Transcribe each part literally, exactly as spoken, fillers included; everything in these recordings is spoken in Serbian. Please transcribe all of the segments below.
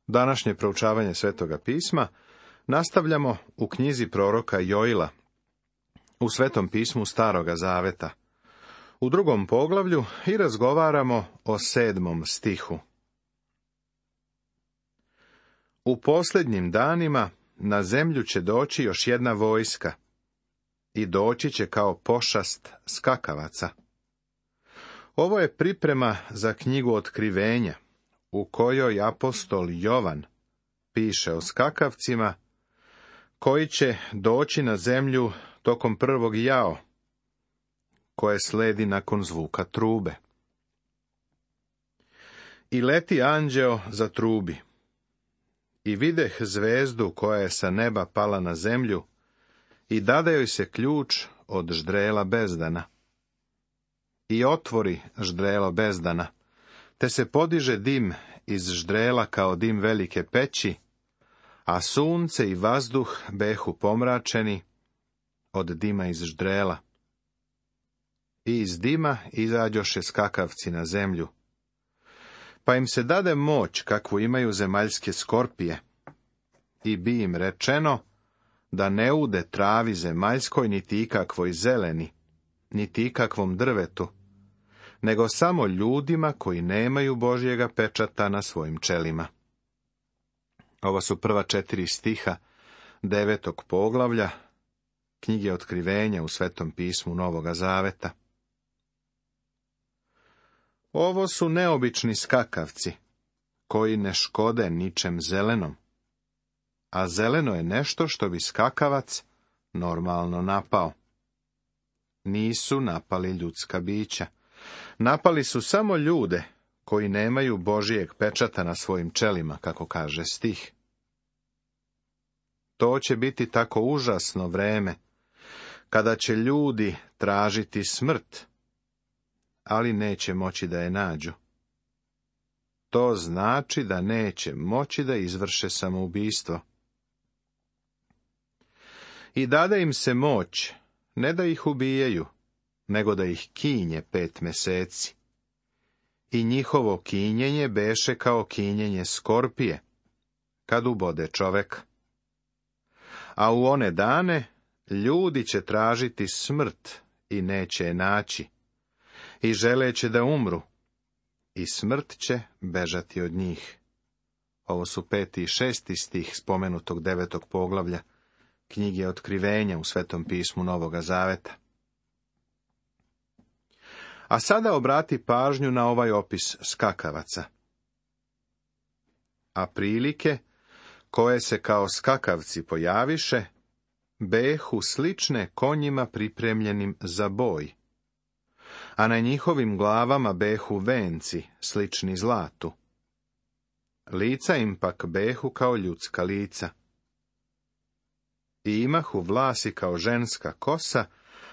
Današnje proučavanje Svetoga pisma nastavljamo u knjizi proroka Joila, u Svetom pismu Staroga zaveta, u drugom poglavlju i razgovaramo o sedmom stihu. U posljednjim danima na zemlju će doći još jedna vojska i doći će kao pošast skakavaca. Ovo je priprema za knjigu Otkrivenja, u kojoj apostol Jovan piše o skakavcima koji će doći na zemlju tokom prvog jao, koje sledi nakon zvuka trube. I leti anđeo za trubi. I videh zvezdu koja je sa neba pala na zemlju i dade joj se ključ od ždrela bezdana. I otvori ždrelo bezdana, te se podiže dim iz ždrela kao dim velike peći, a sunce i vazduh behu pomračeni od dima iz ždrela. I iz dima izađoše skakavci na zemlju. Pa im se dade moć kakvu imaju zemaljske skorpije, i bi im rečeno da ne ude travi zemaljskoj niti ikakvoj zeleni, niti ikakvom drvetu, nego samo ljudima koji nemaju Božjega pečata na svojim čelima. Ovo su prva četiri stiha devetog poglavlja knjige Otkrivenja u Svetom pismu Novoga zaveta. Ovo su neobični skakavci, koji ne škode ničem zelenom, a zeleno je nešto što bi skakavac normalno napao. Nisu napali ljudska bića. Napali su samo ljude koji nemaju Božijeg pečata na svojim čelima, kako kaže stih. To će biti tako užasno vreme, kada će ljudi tražiti smrt, ali neće moći da je nađu. To znači da neće moći da izvrše samoubistvo. I dade im se moć, ne da ih ubijaju, nego da ih kinje pet meseci. I njihovo kinjenje beše kao kinjenje skorpije, kad ubode čoveka. A u one dane ljudi će tražiti smrt i neće je naći, i želeće da umru, i smrt će bežati od njih. Ovo su peti i šesti stih spomenutog devetog poglavlja knjige Otkrivenja u Svetom pismu Novoga zaveta. A sada obrati pažnju na ovaj opis skakavaca. A prilike, koje se kao skakavci pojaviše, behu slične konjima pripremljenim za boj, a na njihovim glavama behu venci, slični zlatu. Lica im pak behu kao ljudska lica. I imahu vlasi kao ženska kosa,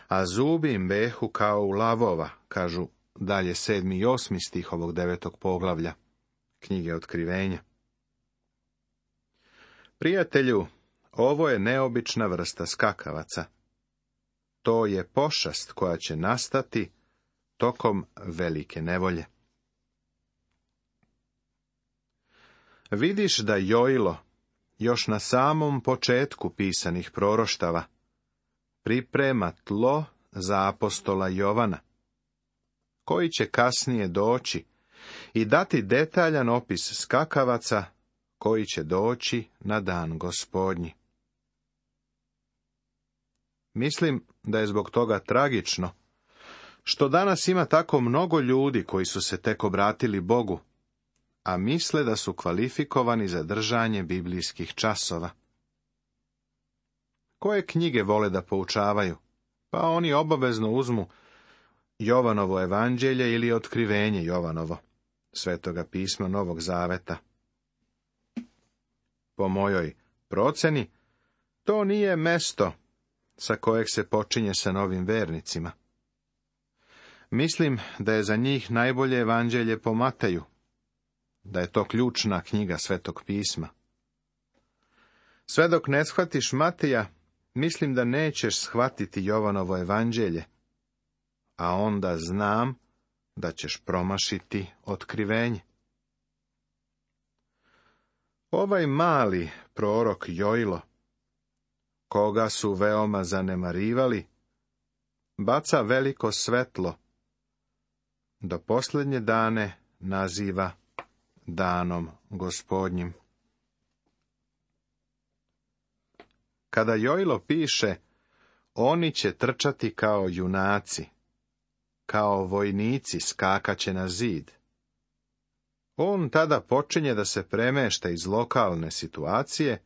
a zubi im behu kao u lavova, kažu dalje sedmi i osmi stih ovog devetog poglavlja knjige Otkrivenja. Prijatelju, ovo je neobična vrsta skakavaca. To je pošast koja će nastati tokom velike nevolje. Vidiš da Joilo, još na samom početku pisanih proroštava, priprema tlo za apostola Jovana, koji će kasnije doći i dati detaljan opis skakavaca koji će doći na dan Gospodnji. Mislim da je zbog toga tragično što danas ima tako mnogo ljudi koji su se tek obratili Bogu, a misle da su kvalifikovani za držanje biblijskih časova. Koje knjige vole da poučavaju? Pa oni obavezno uzmu Jovanovo evanđelje ili Otkrivenje Jovanovo, Svetoga pisma Novog zaveta. Po mojoj proceni, to nije mesto sa kojeg se počinje sa novim vernicima. Mislim da je za njih najbolje evanđelje po Mateju, da je to ključna knjiga Svetog pisma. Sve dok ne shvatiš Mateja, mislim da nećeš shvatiti Jovanovo evanđelje, a onda znam da ćeš promašiti Otkrivenje. Ovaj mali prorok Joilo, koga su veoma zanemarivali, baca veliko svetlo, do posljednje dane naziva danom Gospodnjim. Kada Joilo piše, oni će trčati kao junaci, kao vojnici skakaće na zid, on tada počinje da se premešta iz lokalne situacije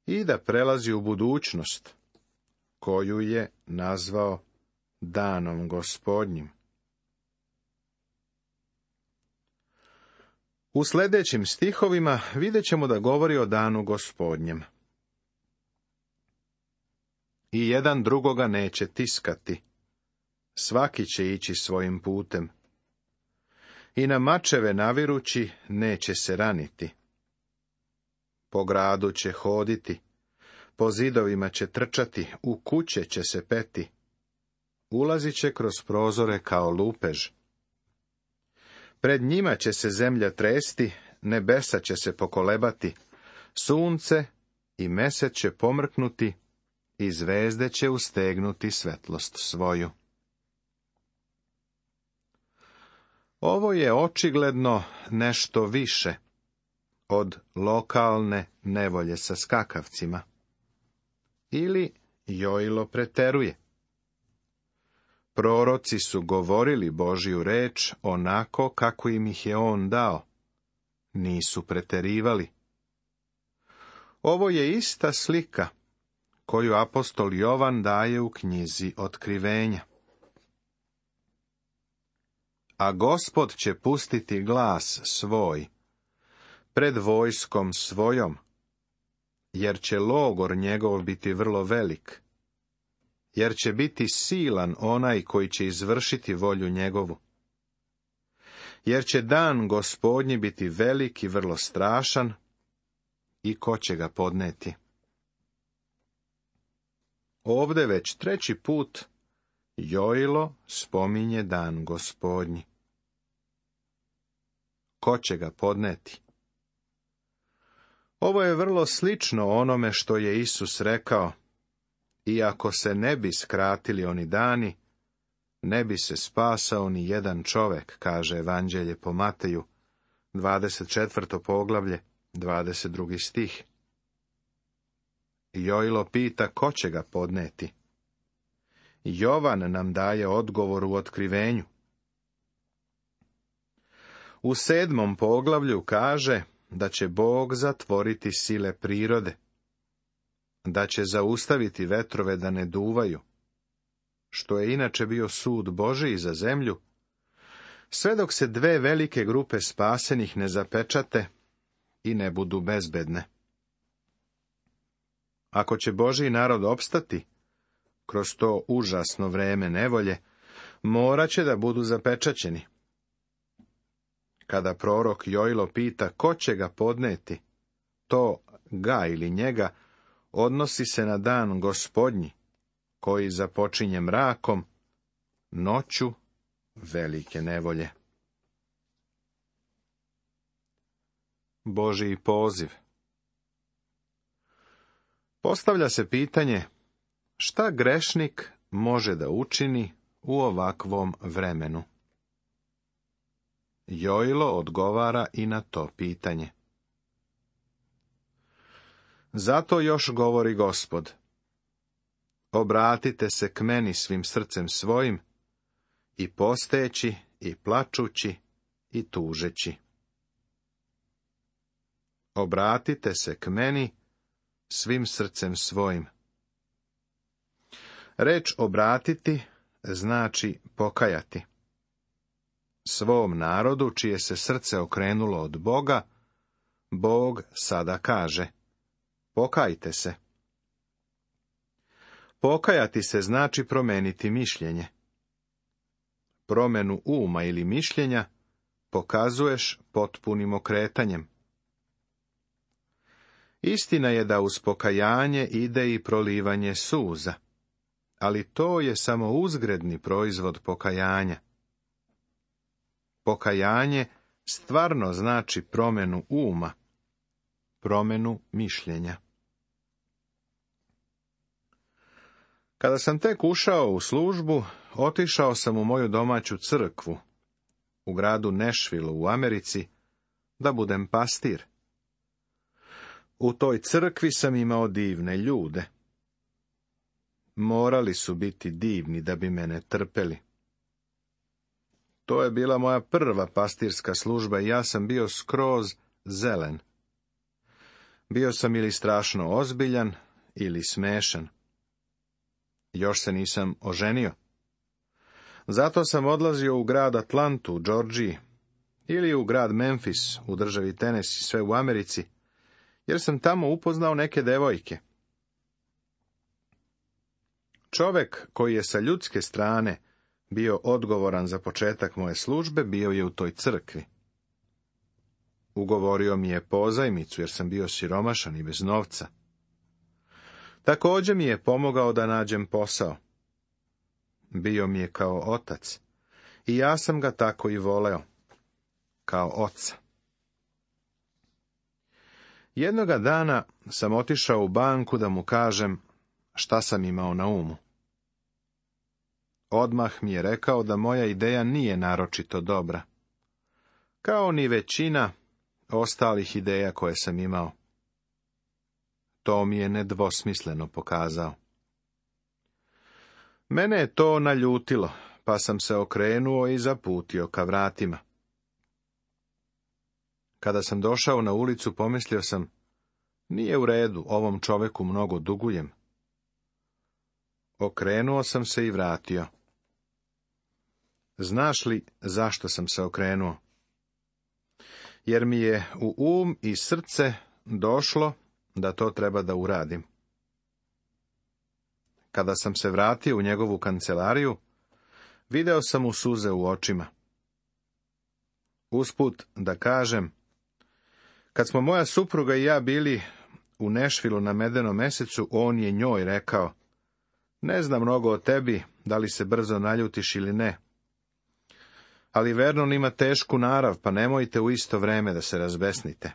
i da prelazi u budućnost, koju je nazvao danom Gospodnjim. U sljedećim stihovima vidjet ćemo da govori o danu Gospodnjem. I jedan drugoga neće tiskati, svaki će ići svojim putem. I na mačeve navirući neće se raniti. Po gradu će hoditi, po zidovima će trčati, u kuće će se peti. Ulazit će kroz prozore kao lupež. Pred njima će se zemlja tresti, nebesa će se pokolebati, sunce i mesec će pomrknuti i zvezde će ustegnuti svetlost svoju. Ovo je očigledno nešto više od lokalne nevolje sa skakavcima. Ili Joilo preteruje. Proroci su govorili Božju reč onako kako im ih je on dao. Nisu preterivali. Ovo je ista slika koju apostol Jovan daje u knjizi Otkrivenja. A Gospod će pustiti glas svoj pred vojskom svojom, jer će logor njegov biti vrlo velik, jer će biti silan onaj koji će izvršiti volju njegovu. Jer će dan Gospodnji biti velik i vrlo strašan, i ko će ga podneti. Ovde već treći put Joilo spominje dan Gospodnji. Ko će ga podneti? Ovo je vrlo slično onome što je Isus rekao, iako se ne bi skratili oni dani, ne bi se spasao ni jedan čovek, kaže Evanđelje po Mateju, dvadeset četvrto poglavlje, dvadeset drugi stih. Joilo pita ko će ga podneti. Jovan nam daje odgovor u Otkrivenju. U sedmom poglavlju kaže da će Bog zatvoriti sile prirode, da će zaustaviti vetrove da ne duvaju, što je inače bio sud Božiji za zemlju, sve dok se dve velike grupe spasenih ne zapečate i ne budu bezbedne. Ako će Božji narod opstati kroz to užasno vreme nevolje, morat će da budu zapečaćeni. Kada prorok Joilo pita ko će ga podneti, to ga ili njega odnosi se na dan Gospodnji, koji započinje mrakom, noću velike nevolje. Božji poziv. Postavlja se pitanje, šta grešnik može da učini u ovakvom vremenu? Joilo odgovara i na to pitanje. Zato još govori Gospod, obratite se k meni svim srcem svojim, i posteći, i plačući, i tužeći. Obratite se k meni svim srcem svojim. Reč obratiti znači pokajati. Svom narodu, čije se srce okrenulo od Boga, Bog sada kaže, pokajte se. Pokajati se znači promeniti mišljenje. Promenu uma ili mišljenja pokazuješ potpunim okretanjem. Istina je da uz pokajanje ide i prolivanje suza, ali to je samo uzgredni proizvod pokajanja. Pokajanje stvarno znači promjenu uma, promjenu mišljenja. Kada sam tek ušao u službu, otišao sam u moju domaću crkvu, u gradu Nashville u Americi, da budem pastir. U toj crkvi sam imao divne ljude. Morali su biti divni da bi mene trpeli. To je bila moja prva pastirska služba i ja sam bio skroz zelen. Bio sam ili strašno ozbiljan, ili smešan. Još se nisam oženio. Zato sam odlazio u grad Atlantu u Georgiji, ili u grad Memphis u državi Tennessee, sve u Americi, jer sam tamo upoznao neke devojke. Čovek koji je sa ljudske strane bio odgovoran za početak moje službe, bio je u toj crkvi. Ugovorio mi je pozajmicu, jer sam bio siromašan i bez novca. Također mi je pomogao da nađem posao. Bio mi je kao otac, i ja sam ga tako i voleo, kao oca. Jednoga dana sam otišao u banku da mu kažem šta sam imao na umu. Odmah mi je rekao da moja ideja nije naročito dobra, kao ni većina ostalih ideja koje sam imao. To mi je nedvosmisleno pokazao. Mene je to naljutilo, pa sam se okrenuo i zaputio ka vratima. Kada sam došao na ulicu, pomislio sam, nije u redu, ovom čoveku mnogo dugujem. Okrenuo sam se i vratio. Znaš li zašto sam se okrenuo? Jer mi je u um i srce došlo da to treba da uradim. Kada sam se vratio u njegovu kancelariju, video sam mu suze u očima. Usput da kažem, kad smo moja supruga i ja bili u Nashvilleu na medenom mesecu, on je njoj rekao, ne znam mnogo o tebi, da li se brzo naljutiš ili ne. Ali Vernon ima tešku narav, pa nemojte u isto vreme da se razbesnite.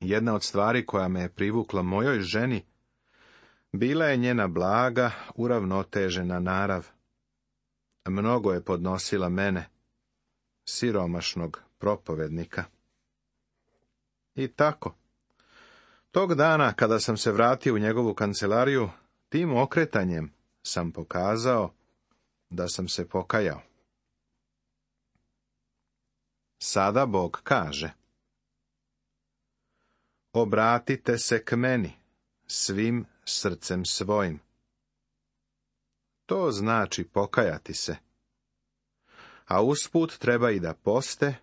Jedna od stvari koja me je privukla mojoj ženi, bila je njena blaga, uravnotežena narav. Mnogo je podnosila mene, siromašnog propovednika. I tako. Tog dana, kada sam se vratio u njegovu kancelariju, tim okretanjem sam pokazao da sam se pokajao. Sada Bog kaže, obratite se k meni svim srcem svojim. To znači pokajati se. A usput treba i da poste,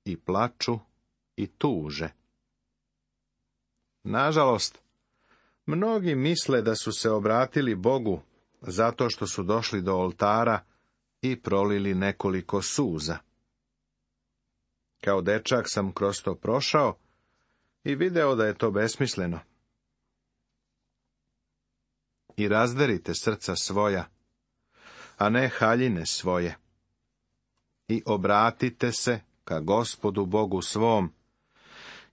i plaču, i tuže. Nažalost, mnogi misle da su se obratili Bogu zato što su došli do oltara i prolili nekoliko suza. Kao dečak sam kroz to prošao i video da je to besmisleno. I razderite srca svoja, a ne haljine svoje. I obratite se ka Gospodu Bogu svom,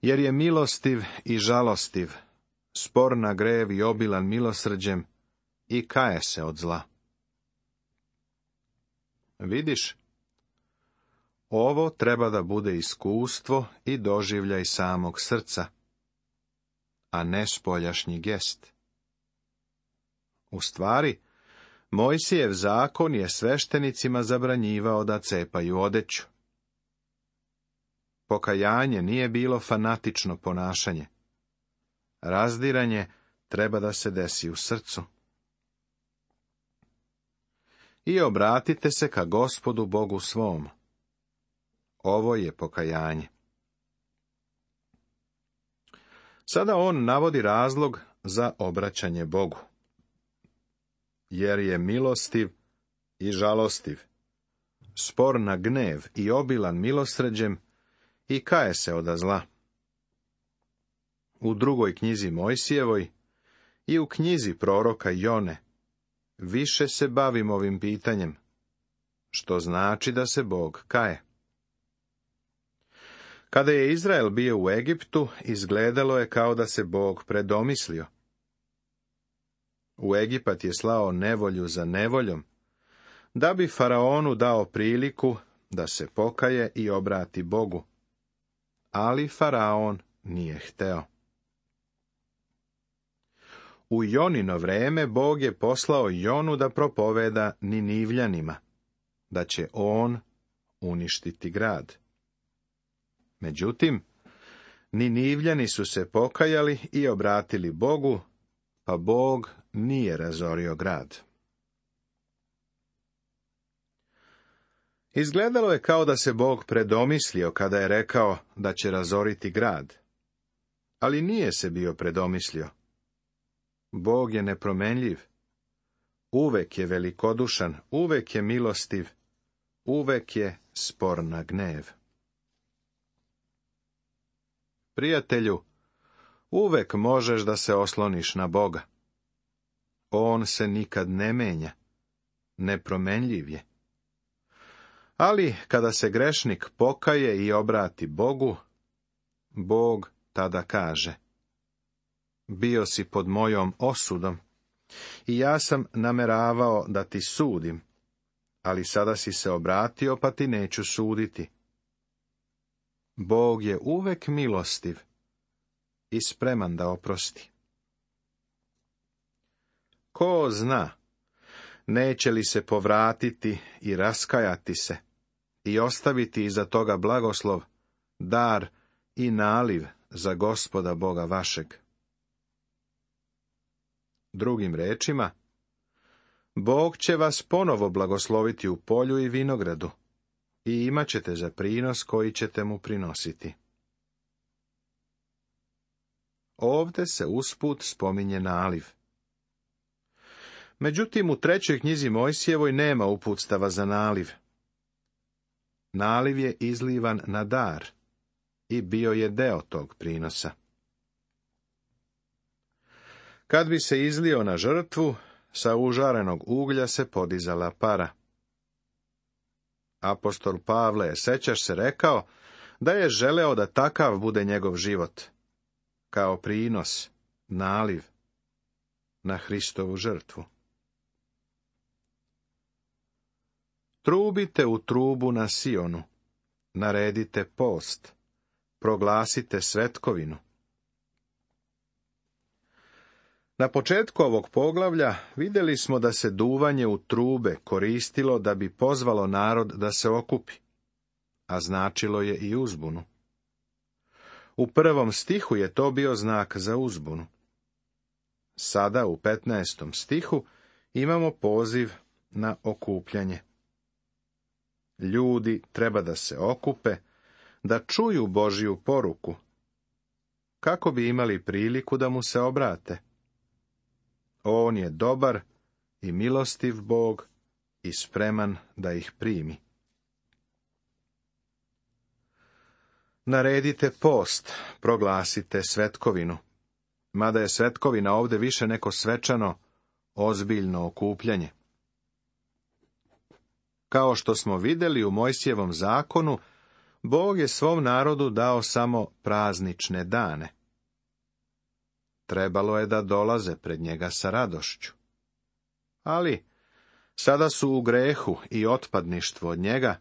jer je milostiv i žalostiv, spor na grev i obilan milosrđem, i kaje se od zla. Vidiš, ovo treba da bude iskustvo i doživljaj samog srca, a ne spoljašnji gest. U stvari, Mojsijev zakon je sveštenicima zabranjivao da cepaju odeću. Pokajanje nije bilo fanatično ponašanje. Razdiranje treba da se desi u srcu. I obratite se ka Gospodu Bogu svom. Ovo je pokajanje. Sada on navodi razlog za obraćanje Bogu. Jer je milostiv i žalostiv, spor na gnev i obilan milosrđem, i kaje se od zla. U drugoj knjizi Mojsijevoj i u knjizi proroka Jone više se bavim ovim pitanjem, što znači da se Bog kaje. Kada je Izrael bio u Egiptu, izgledalo je kao da se Bog predomislio. U Egipat je slao nevolju za nevoljom, da bi faraonu dao priliku da se pokaje i obrati Bogu. Ali faraon nije hteo. U Jonino vreme Bog je poslao Jonu da propoveda Ninivljanima, da će on uništiti grad. Međutim, Ninivljani su se pokajali i obratili Bogu, pa Bog nije razorio grad. Izgledalo je kao da se Bog predomislio kada je rekao da će razoriti grad, ali nije se bio predomislio. Bog je nepromenljiv, uvek je velikodušan, uvek je milostiv, uvek je spor na gnev. Prijatelju, uvek možeš da se osloniš na Boga. On se nikad ne menja, nepromenljiv je. Ali kada se grešnik pokaje i obrati Bogu, Bog tada kaže: bio si pod mojom osudom i ja sam nameravao da ti sudim, ali sada si se obratio pa ti neću suditi. Bog je uvek milostiv i spreman da oprosti. Ko zna, neće li se povratiti i raskajati se i ostaviti iza toga blagoslov, dar i naliv za Gospoda Boga vašeg. Drugim rečima, Bog će vas ponovo blagosloviti u polju i vinogradu i imat ćete za prinos koji ćete mu prinositi. Ovde se usput spominje naliv. Međutim, u trećoj knjizi Mojsijevoj nema uputstava za naliv. Naliv je izlivan na dar i bio je deo tog prinosa. Kad bi se izlio na žrtvu, sa užarenog uglja se podizala para. Apostol Pavle, sećaš se, rekao da je želeo da takav bude njegov život, kao prinos, naliv, na Hristovu žrtvu. Trubite u trubu na Sionu, naredite post, proglasite svetkovinu. Na početku ovog poglavlja vidjeli smo da se duvanje u trube koristilo da bi pozvalo narod da se okupi, a značilo je i uzbunu. U prvom stihu je to bio znak za uzbunu. Sada u petnaestom stihu imamo poziv na okupljanje. Ljudi treba da se okupe, da čuju Božju poruku, kako bi imali priliku da mu se obrate. On je dobar i milostiv Bog i spreman da ih primi. Naredite post, proglasite svetkovinu. Mada je svetkovina ovde više neko svečano, ozbiljno okupljanje. Kao što smo vidjeli u Mojsijevom zakonu, Bog je svom narodu dao samo praznične dane. Trebalo je da dolaze pred njega sa radošću. Ali, sada su u grehu i otpadništvu od njega,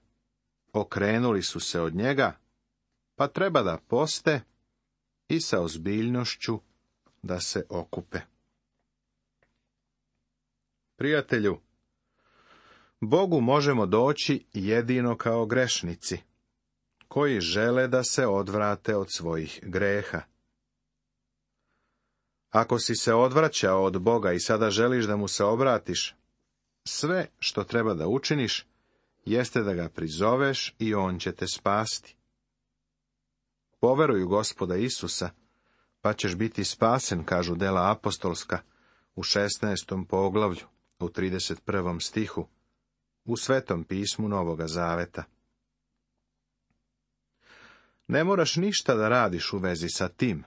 okrenuli su se od njega, pa treba da poste i sa ozbiljnošću da se okupe. Prijatelju, Bogu možemo doći jedino kao grešnici, koji žele da se odvrate od svojih greha. Ako si se odvraćao od Boga i sada želiš da mu se obratiš, sve što treba da učiniš, jeste da ga prizoveš i on će te spasti. Poveruj u Gospoda Isusa, pa ćeš biti spasen, kažu dela apostolska, u šesnaestom poglavlju, u trideset prvom stihu, u Svetom pismu Novoga Zaveta. Ne moraš ništa da radiš u vezi sa tim.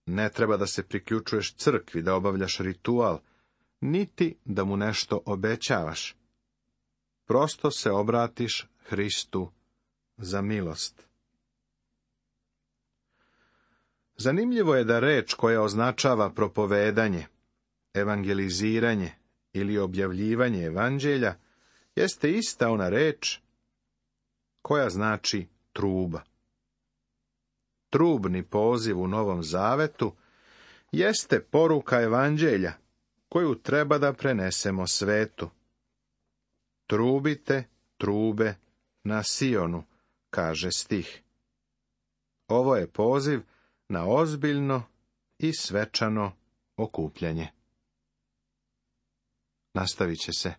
Ne treba da se priključuješ crkvi, da obavljaš ritual, niti da mu nešto obećavaš. Prosto se obratiš Hristu za milost. Zanimljivo je da reč koja označava propovedanje, evangeliziranje ili objavljivanje evanđelja jeste ista ona reč koja znači truba. Trubni poziv u Novom Zavetu jeste poruka evanđelja koju treba da prenesemo svetu. Trubite trube na Sionu, kaže stih. Ovo je poziv na ozbiljno i svečano okupljanje. Nastavit će se